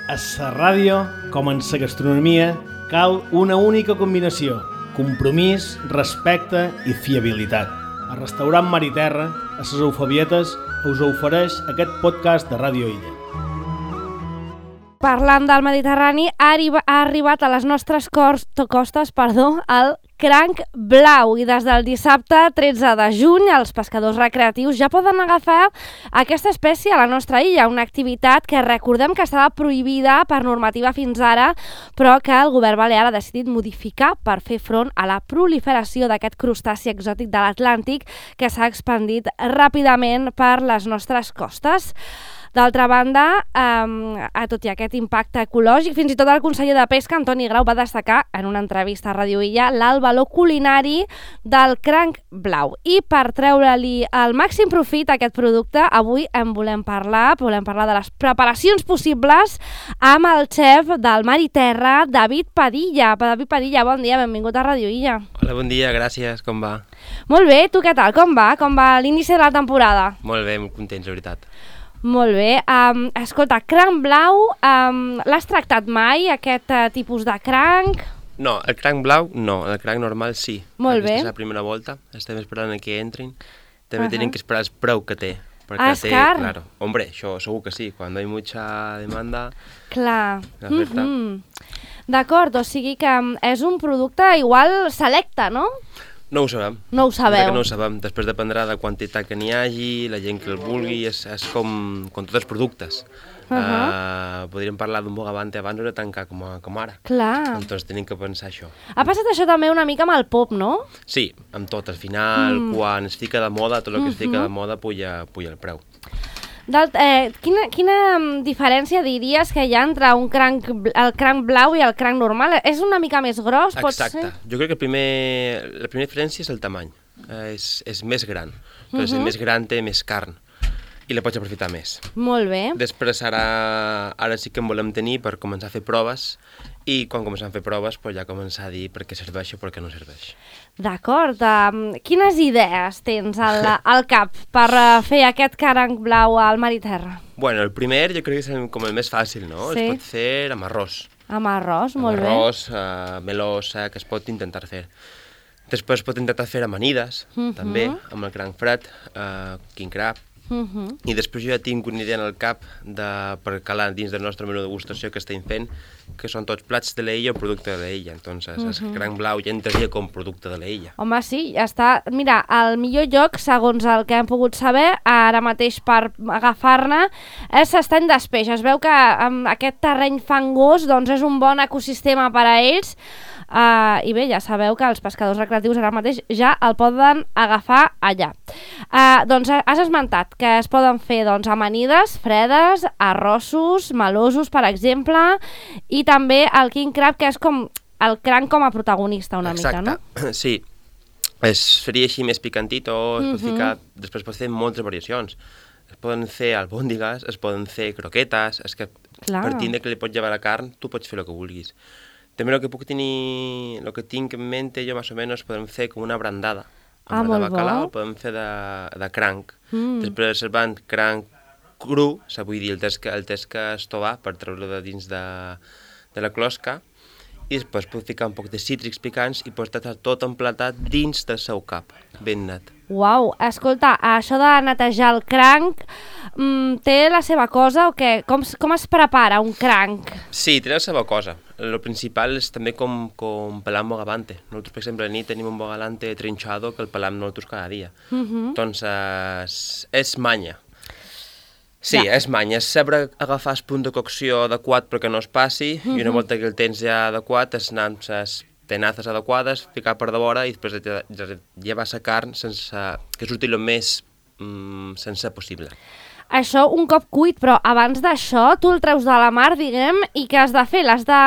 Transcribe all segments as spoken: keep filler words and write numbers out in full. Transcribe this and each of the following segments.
A la ràdio, com en la gastronomia, cal una única combinació: compromís, respecte i fiabilitat. El restaurant Mar i Terra, a les Eufabietes, us ofereix aquest podcast de Ràdio Illa. Parlant del Mediterrani, ha, arriba, ha arribat a les nostres costes perdó, el cranc blau, i des del dissabte tretze de juny els pescadors recreatius ja poden agafar aquesta espècie a la nostra illa, una activitat que recordem que estava prohibida per normativa fins ara, però que el govern balear ha decidit modificar per fer front a la proliferació d'aquest crustaci exòtic de l'Atlàntic que s'ha expandit ràpidament per les nostres costes. D'altra banda, eh, tot i aquest impacte ecològic, fins i tot el conseller de Pesca, Antoni Grau, va destacar en una entrevista a Ràdio Illa l'alt valor culinari del cranc blau. I per treure-li el màxim profit a aquest producte, avui en volem parlar, volem parlar de les preparacions possibles amb el xef del Mar i Terra, David Padilla. David Padilla, bon dia, benvingut a Ràdio Illa. Hola, bon dia, gràcies, com va? Molt bé, tu què tal? Com va? Com va l'inici de la temporada? Molt bé, molt contents, la veritat. Molt bé. Um, escolta, cranc blau, um, l'has tractat mai, aquest uh, tipus de cranc? No, el cranc blau no, el cranc normal sí. Molt bé. Aquesta és la primera volta, estem esperant que entrin. També Uh-huh. tenim que esperar el preu que té. Ah, és car? Claro. Hombre, això segur que sí, quan hi ha mucha demanda... Clar. L'oferta. Mm-hmm. D'acord, o sigui que um, és un producte igual selecte, no? No ho sabem. No ho sabeu. No ho sabem. Després dependrà de la quantitat que n'hi hagi, la gent que el vulgui, és, és com, com tots els productes. Uh-huh. uh, podríem parlar d'un bogavante abans o de tancar com, a, com ara. Clar. Doncs tenim que pensar això. Ha passat això també una mica amb el pop, no? Sí, amb tot. Al final, mm. quan es fica de moda, tot el que es fica Uh-huh. de moda puja, puja el preu. Eh, quina, quina diferència diries que hi ha entre un cranc, el cranc blau i el cranc normal? És una mica més gros, pot ser? Exacte. Jo crec que primer, la primera diferència és el tamany. Eh, és, és més gran. Però uh-huh. més gran té més carn i la pots aprofitar més. Molt bé. Després ara, ara sí que en volem tenir per començar a fer proves i quan comencem a fer proves pues, ja començar a dir per què serveix o per què no serveix. D'acord. Um, quines idees tens al, al cap per uh, fer aquest cranc blau al Mar i Terra? Bueno, el primer jo crec que és el, com el més fàcil, no? Sí. Es pot fer amb arròs. Amb arròs, molt amb bé. arròs, uh, melosa, que es pot intentar fer. Després es pot intentar fer amanides, uh-huh. també, amb el cranc fred, uh, king crab. Uh-huh. I després jo ja tinc una idea en el cap de, per calar dins del nostre menú de degustació que estem fent, que són tots plats de l'illa o producte de l'illa. Entonces, uh-huh. el cranc blau ja entraria com producte de l'illa. Home, sí, ja està. Mira, el millor lloc, segons el que hem pogut saber, ara mateix per agafar-ne, és l'estany d'Espeix. Es veu que amb aquest terreny fangós doncs, és un bon ecosistema per a ells. Uh, I bé, ja sabeu que els pescadors recreatius ara mateix ja el poden agafar allà. Uh, doncs has esmentat que es poden fer doncs, amanides, fredes, arrossos, melosos, per exemple, i també el king crab, que és com el cranc com a protagonista una Exacte. mica, no? Sí, es faria així més picantito, es pot Mhm. ficar, després pots fer moltes variacions. Es poden fer albòndigues, es poden fer croquetes, és que Clar. partint de que li pots llevar la carn, tu pots fer el que vulguis. També el que puc tenir, el que tinc en mente jo més o menys, podem fer com una brandada. Ah, de molt bacalao, bo. podem fer de, de cranc. Mm. Després reservant cranc cru, o sigui, vull dir, el tens que, el tens que estovar per treure-lo de dins de, de la closca, i després puc ficar un poc de cítrics picants i pots estar tot emplatat dins del seu cap, ben net. Uau, escolta, això de netejar el cranc mm, té la seva cosa o què? Com, com es prepara un cranc? Sí, té la seva cosa. El principal és també com, com pelar un bogavante. Nosaltres, per exemple, a nit tenim un bogavante trinxado que el pelam nosaltres cada dia. Uh-huh. Doncs és, és manya. Sí, Ja. és manya. És saber agafar el punt de cocció adequat perquè no es passi, uh-huh. i una volta que el tens ja adequat, és anar amb les tenazes adequades, ficar per de vora i després llevar la carn sense, que surti el més mm, sense possible. Això un cop cuit, però abans d'això tu el treus de la mar, diguem, i què has de fer? L'has de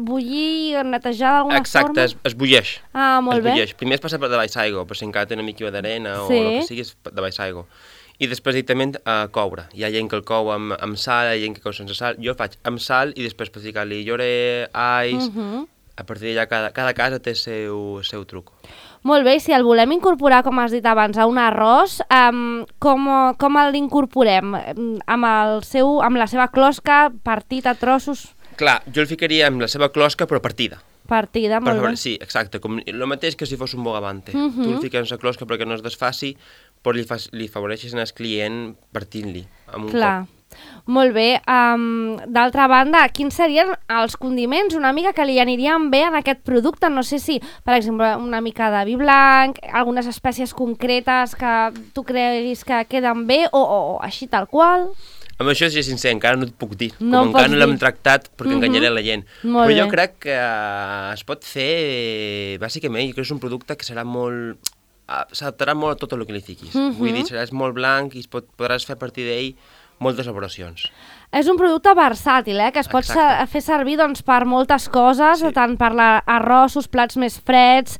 bullir, netejar d'alguna Exacte, forma? es, es bulleix. Ah, molt es bé. bulleix. Primer es passa per de baix aigua, per si encara té una mica d'arena Sí. o el que sigui, és de baix aigua. I després directament a coure. Hi ha gent que el cou amb, amb sal, hi ha gent que cou sense sal. Jo faig amb sal i després per ficar-li llorer, ais... Uh-huh. A partir d'allà cada, cada casa té el seu, seu truc. Molt bé, si el volem incorporar, com has dit abans, a un arròs, um, com, com l'incorporem? Amb, el seu, amb la seva closca, partit a trossos? Clar, jo el ficaria amb la seva closca, però partida. Partida, molt per, bé. Sí, exacte, com el mateix que si fos un bogavante. Uh -huh. Tu el fiques en la closca perquè no es desfaci, però li, fa, li favoreixes al client partint-li amb un Clar. cop. Molt bé. Um, D'altra banda, quins serien els condiments una mica que li anirien bé en aquest producte? No sé si, per exemple, una mica de vi blanc, algunes espècies concretes que tu creguis que queden bé o, o, o així tal qual? Amb això, si és sincer, encara no et puc dir. No Com encara no l'hem dir. tractat, perquè uh -huh. enganyaré la gent. Molt Però jo bé. crec que uh, es pot fer, bàsicament, jo crec que és un producte que serà molt... Uh, s'adaptarà molt a tot el que li fiquis. Uh -huh. Vull dir, seràs molt blanc i es pot, podràs fer a partir d'ell moltes elaboracions. És un producte versàtil, eh? Que es pot ser, fer servir doncs, per moltes coses, sí. Tant per la, arrossos, plats més freds,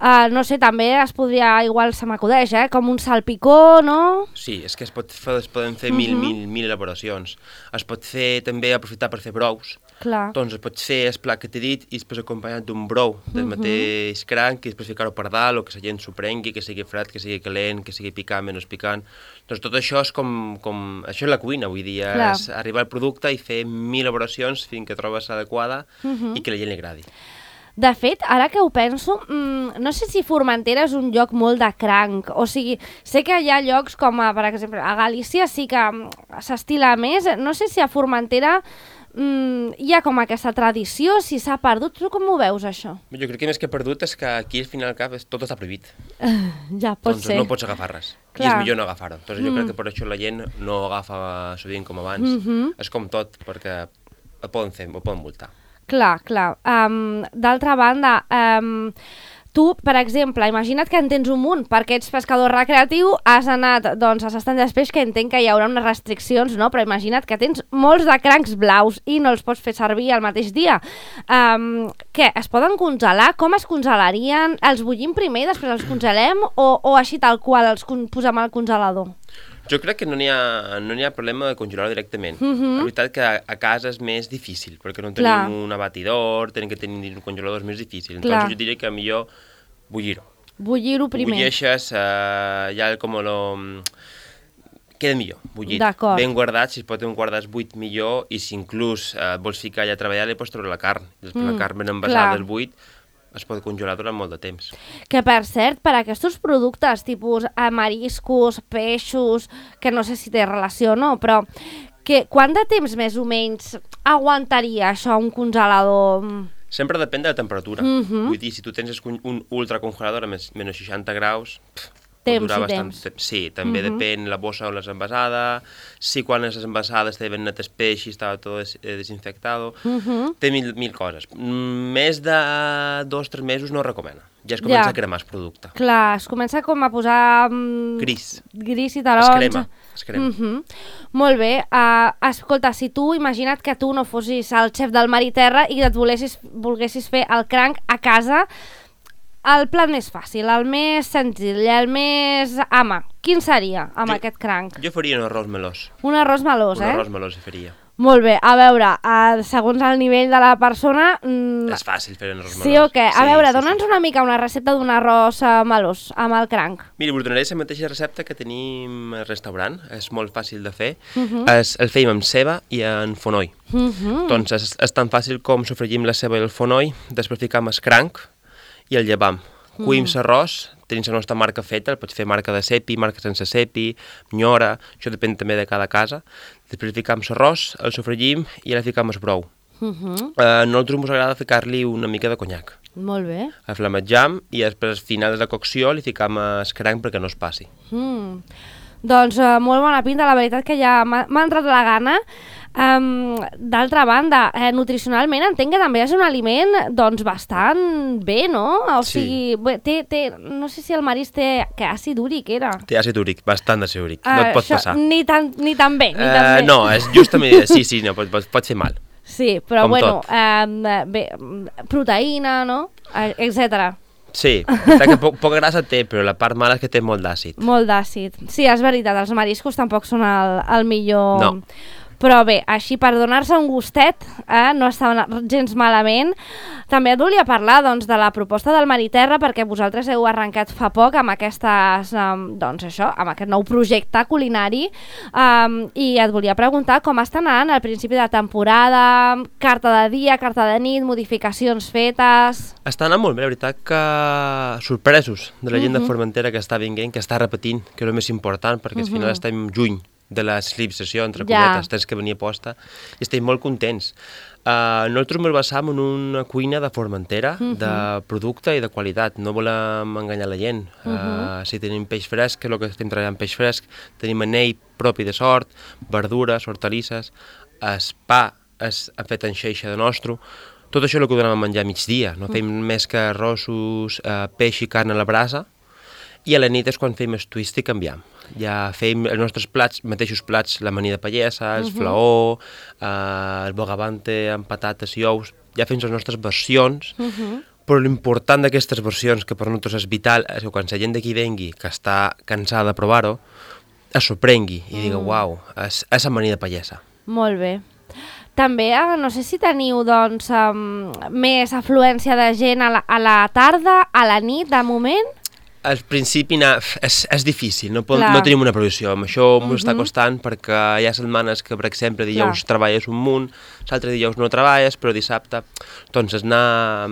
uh, no sé, també es podria, igual se m'acudeix, eh? Com un salpicó, no? Sí, és que es, pot fer, es poden fer uh -huh. mil, mil, mil elaboracions. Es pot fer també aprofitar per fer brous. Clar. Doncs es pot fer el plat que t'he dit i després acompanyat d'un brou del uh -huh. mateix cranc i després ficar-ho per dalt o que la gent s'ho prengui, que sigui fred, que sigui calent, que sigui picant, menys picant. Doncs tot això és com... com això és la cuina, vull dir, Clar. és arribar al producte i fer mil elaboracions fins que trobes l'adequada uh -huh. i que la gent li agradi. De fet, ara que ho penso, mmm, no sé si Formentera és un lloc molt de cranc, o sigui, sé que hi ha llocs com, a, per exemple, a Galícia sí que s'estila més, no sé si a Formentera mm, hi ha com aquesta tradició, si s'ha perdut, tu com ho veus això? Jo crec que més que perdut és que aquí al final al cap tot està prohibit. Ja, pot doncs ser. no pots agafar res. Clar. I és millor no agafar-ho. Doncs mm. jo crec que per això la gent no agafa sovint com abans. Mm -hmm. És com tot, perquè ho poden fer, ho poden multar. Clar, clar. Um, D'altra banda, um, tu, per exemple, imagina't que en tens un munt, perquè ets pescador recreatiu, has anat doncs, a l'estany d'espeix, que entenc que hi haurà unes restriccions, no? Però imagina't que tens molts de crancs blaus i no els pots fer servir al mateix dia. Um, què, es poden congelar? Com es congelarien? Els bullim primer i després els congelem o, o així tal qual els posem al congelador? Jo crec que no n'hi ha, no n'hi ha problema de congelar directament. Uh -huh. La veritat que a, a casa és més difícil, perquè no tenim Clar. un abatidor, tenim que tenir un congelador més difícil. Clar. Entonces jo diria que millor bullir-ho. Bullir-ho primer. Bulleixes, uh, ja com lo... queda millor, bullit. Ben guardat, si es pot tenir guardats buit millor, i si inclús uh, vols ficar allà a treballar, li pots treure la carn. Després mm, la carn ben envasada al buit, es pot congelar durant molt de temps. Que, per cert, per aquests productes, tipus mariscos, peixos, que no sé si té relació o no, però que, quant de temps més o menys aguantaria això un congelador? Sempre depèn de la temperatura. Uh -huh. Vull dir, si tu tens un ultracongelador a menys seixanta graus... Pff, temps i temps. Temps. Sí, també uh -huh. depèn la bossa on l'has envasada, si quan les envasades té ben net el peix i estava tot des, eh, desinfectado, uh -huh. té mil, mil coses. Més de dos o tres mesos no es recomana. Ja es comença ja. a cremar el producte. Clar, es comença com a posar... Um, gris. Gris i taronja. Es crema. Es crema. Uh -huh. Molt bé. Uh, escolta, si tu, imagina't que tu no fossis el xef del mar i terra i et volessis, volguessis fer el cranc a casa, el plat més fàcil, el més senzill, el més... ama, quin seria amb jo, aquest cranc? Jo faria un arròs melós. Un arròs melós, un eh? Un arròs melós faria. Molt bé, a veure, uh, segons el nivell de la persona... Mm, és fàcil fer un arròs melós. Sí o què? A sí, veure, sí, dona'ns sí. una mica una recepta d'un arròs uh, melós amb el cranc. Mira, us donaré la mateixa recepta que tenim al restaurant, és molt fàcil de fer. Uh Mhm. -huh. es, el feim amb ceba i en fonoll. Uh Mhm. -huh. Doncs és, és tan fàcil com sofregim la ceba i el fonoll, després ficam el cranc i el llevam. Cuïm l'arròs, tenim la nostra marca feta, el pots fer marca de cepi, marca sense cepi, nyora, això depèn també de cada casa. Després ficam l'arròs, el sofregim i ara ficam el brou. Uh -huh. A nosaltres ens agrada ficar-li una mica de conyac. Molt bé. El flamejam i després al final de la cocció li ficam el cranc perquè no es passi. Mm. Doncs uh, molt bona pinta, la veritat que ja m'ha entrat la gana. Um, D'altra banda, eh, nutricionalment entenc que també és un aliment doncs bastant bé, no? O sí. sigui, bé, té, té, no sé si el marisc té que àcid úric era. Té àcid úric, bastant d'àcid úric, uh, no et pot això, passar. Ni tan, ni tan bé, ni uh, tan bé. No, és justament, sí, sí, no, pot, pot, pot fer mal. Sí, però com bueno, tot. um, bé, proteïna, no? etcètera. Sí, que poc, poca grassa té, però la part mala és que té molt d'àcid. Molt d'àcid. Sí, és veritat, els mariscos tampoc són el, el millor no. Però bé, així per donar-se un gustet, eh, no està gens malament. També et volia parlar doncs, de la proposta del Mar i Terra, perquè vosaltres heu arrencat fa poc amb, aquestes, um, doncs això, amb aquest nou projecte culinari, um, i et volia preguntar com està anant al principi de temporada, carta de dia, carta de nit, modificacions fetes... Està anant molt bé, la veritat que sorpresos de la gent uh -huh. de Formentera que està venint, que està repetint, que és el més important, perquè al final uh -huh. estem juny de la civilització, entre ja. cometes, tens que venir a posta, i estem molt contents. Uh, nosaltres ens basam en una cuina de Formentera, uh -huh. de producte i de qualitat, no volem enganyar la gent. Uh -huh. uh, si tenim peix fresc, que és el que estem treballant, peix fresc, tenim anell propi de sort, verdures, hortalisses, el pa és fet en xeixa de nostre. Tot això és el que donem a menjar a migdia, no fem més que arrossos, uh, peix i carn a la brasa, i a la nit és quan fem el twist i canviem. Ja fem els nostres plats, mateixos plats, l'amanida pallesa, el uh -huh. flaó, eh, el bogavante amb patates i ous, ja fem les nostres versions, uh -huh. però l'important d'aquestes versions, que per nosaltres és vital, és que quan la gent d'aquí vengui, que està cansada de provar-ho, es sorprengui i digui, mm. uau, és, és amanida pallesa. Molt bé. També, no sé si teniu doncs, um, més afluència de gent a la, a la tarda, a la nit, de moment? Al principi na, és, és difícil, no, pod, no tenim una previsió, amb això m'ho uh -huh. està costant perquè hi ha setmanes que, per exemple, dijous Clar. treballes un munt, l'altre dijous no treballes, però dissabte... Doncs anar,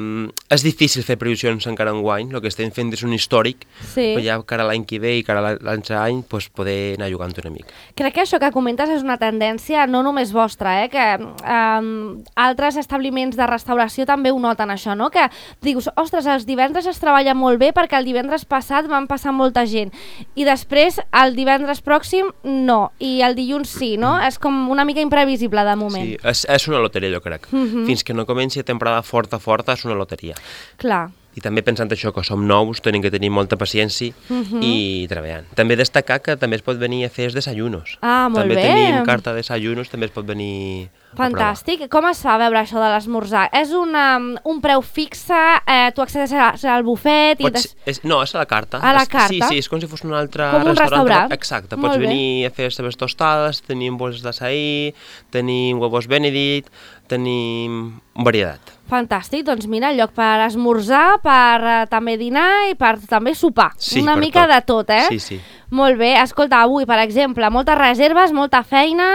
és difícil fer previsions encara enguany, el que estem fent és un històric, sí. però ja cara a l'any que ve i cara a l'altre any pues, poder anar jugant una mica. Crec que això que comentes és una tendència no només vostra, eh? Que um, altres establiments de restauració també ho noten això, no? Que dius, ostres, els divendres es treballa molt bé perquè el divendres passat van passar molta gent i després el divendres pròxim no, i el dilluns sí, no? És com una mica imprevisible de moment. Sí, és, és una loteria, jo crec. Uh -huh. Fins que no comenci a temporada forta, forta, és una loteria. Clar. I també pensant això, que som nous, tenim que tenir molta paciència uh-huh. i treballant. També destacar que també es pot venir a fer els desayunos. Ah, molt també bé. També tenim carta de desayunos, també es pot venir Fantàstic. Com es fa a veure això de l'esmorzar? És una, un preu fixe, eh, tu accedeixes al bufet i... Pots, és, no, és a la carta. A la és, carta? Sí, sí, és com si fos un altre com un restaurant. restaurant. Exacte, molt pots bé. venir a fer les teves tostades, tenim bols d'açaí, tenim huevos benedict, tenim varietat. Fantàstic, doncs mira, lloc per esmorzar, per uh, també dinar i per també sopar. Sí, una mica tot. de tot, eh? Sí, sí. Molt bé, escolta, avui, per exemple, moltes reserves, molta feina,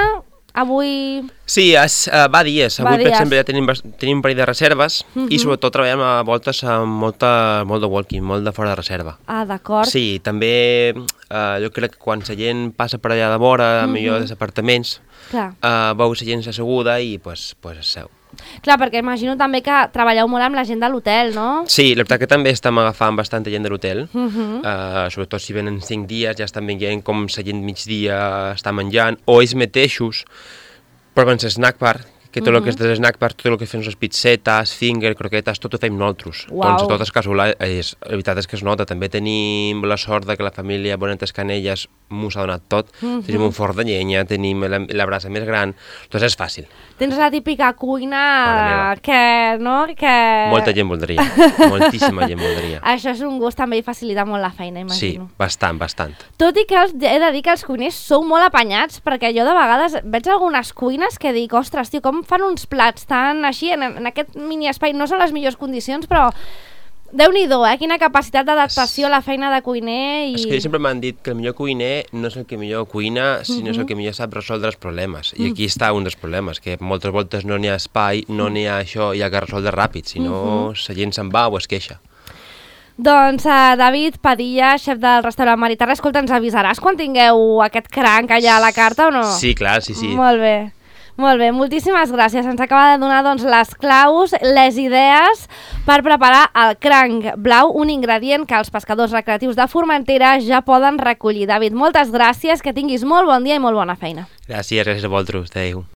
avui... Sí, es, uh, va dies. Va Avui, dies. per exemple, ja tenim, tenim un parell de reserves uh -huh. i sobretot treballem a voltes amb molta, molt de walking, molt de fora de reserva. Ah, d'acord. Sí, també uh, jo crec que quan la gent passa per allà de vora, uh -huh. millor dels apartaments, uh, veu la gent asseguda i pues, pues es seu. Clar, perquè imagino també que treballeu molt amb la gent de l'hotel, no? Sí, la veritat que també estem agafant bastanta gent de l'hotel, uh -huh. uh, sobretot si venen cinc dies, ja estan veient com la gent migdia està menjant, o ells mateixos proven l'esnack bar, que tot el uh -huh. que és de l'esnack bar, tot el que fem les pizzetes, finger, croquetes, tot ho fem nosaltres. Wow. Doncs tot és casual, és, la veritat és que es nota. També tenim la sort de que la família Bonetes Canelles m'ho s'ha donat tot. Uh -huh. Tenim un forn de llenya, tenim la, la brasa més gran, doncs és fàcil. Tens la típica cuina que, no? Que... Molta gent voldria, moltíssima gent voldria. Això és un gust també i facilita molt la feina, imagino. Sí, bastant, bastant. Tot i que els, he de dir que els cuiners sou molt apanyats, perquè jo de vegades veig algunes cuines que dic, ostres, tio, com fan uns plats tan així, en, en aquest mini espai, no són les millors condicions, però Déu-n'hi-do, eh? Quina capacitat d'adaptació a la feina de cuiner. I... És que sempre m'han dit que el millor cuiner no és el que millor cuina, sinó uh -huh. és el que millor sap resoldre els problemes. I aquí està un dels problemes, que moltes voltes no n'hi ha espai, no n'hi ha això, hi ha que resoldre ràpid, si no uh -huh. la gent se'n va o es queixa. Doncs uh, David Padilla, xef del restaurant Mar i Terra, escolta, ens avisaràs quan tingueu aquest cranc allà a la carta o no? Sí, clar, sí, sí. Molt bé. Molt bé, moltíssimes gràcies. Ens acaba de donar doncs, les claus, les idees per preparar el cranc blau, un ingredient que els pescadors recreatius de Formentera ja poden recollir. David, moltes gràcies, que tinguis molt bon dia i molt bona feina. Gràcies, gràcies a vosaltres. Adéu.